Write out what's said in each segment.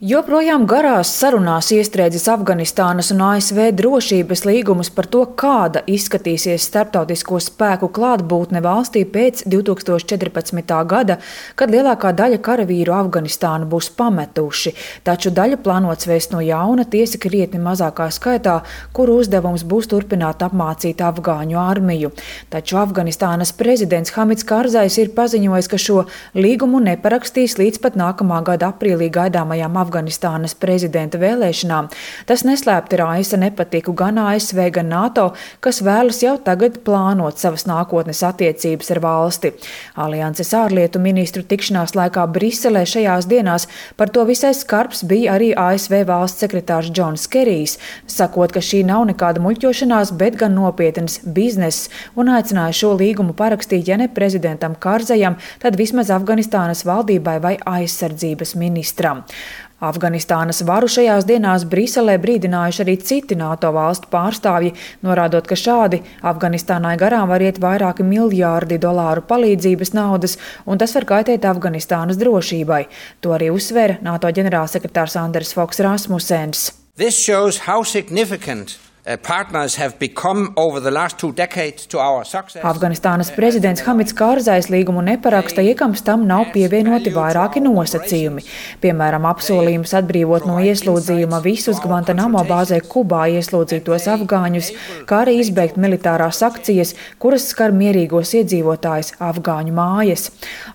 Joprojām garās sarunās iestrēdzis Afganistānas un ASV drošības līgumus par to, kāda izskatīsies starptautisko spēku klātbūtne valstī pēc 2014. gada, kad lielākā daļa karavīru Afganistānu būs pametuši, taču daļa plānots vēst no jauna, tiesa krietni mazākā skaitā, kuru uzdevums būs turpināt apmācīt afgāņu armiju. Taču Afganistānas prezidents Hamids Karzais ir paziņojis, ka šo līgumu neparakstīs līdz pat nākamā gada aprīlī gaidāmajām Afganistānas prezidenta vēlēšanām. Tas neslēpti raisa nepatiku gan ASV, gan NATO, kas vēlas jau tagad plānot savas nākotnes attiecības ar valsti. Alianses ārlietu ministru tikšanās laikā Briselē šajās dienās par to visai skarbs bija arī ASV valsts sekretārs Džons Kerijs, sakot, ka šī nav nekāda muļķošanās, bet gan nopietnas bizness, un aicināja šo līgumu parakstīt, ja ne prezidentam Karzajam, tad vismaz Afganistānas valdībai vai aizsardzības ministram. Afganistānas varu šajās dienās Briselē brīdinājuši arī citi NATO valstu pārstāvji, norādot, ka šādi Afganistānai garām var iet vairāki miljārdi dolāru palīdzības naudas, un tas var kaitēt Afganistānas drošībai. To arī uzsvēra NATO ģenerālsekretārs Anders Fogh Rasmussens. This shows how significant partners have become over the last 2 decades to our success. Afganistānas prezidents Hamids Karzais līgumu neparaksta, iekams tam nav pievienoti vairāki nosacījumi. Piemēram, apsolījums atbrīvot no ieslodzījuma visus Guantanamo bāzē Kubā ieslodzītos afgāņus, kā arī izbeigt militārās akcijas, kuras skar mierīgos iedzīvotājus afgāņu mājas.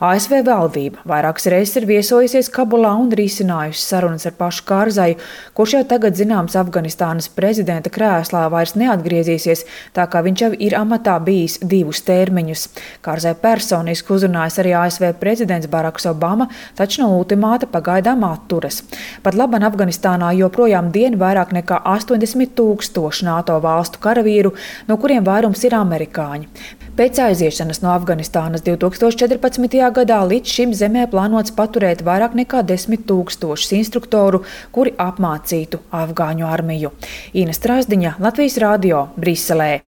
ASV valdība vairākas reizes ir viesojusies Kabulā un risinājusi sarunas ar pašu Karzaju, kurš jau tagad zināms Afganistānas prezidenta krēslā vairs neatgriezīsies, tā kā viņš jau ir amatā bijis 2 termiņus. Karzai personiski uzrunājas arī ASV prezidents Baraks Obama, taču no ultimāta pagaidām atturas. Pat laban Afganistānā joprojām dien vairāk nekā 80 000 NATO valstu karavīru, no kuriem vairums ir amerikāņi. Pēc aiziešanas no Afganistānas 2014. gadā līdz šim zemē plānots paturēt vairāk nekā 10 000 instruktoru, kuri apmācītu afgāņu armiju. Ina Strasdiņa, Latvijas radio, Briselē.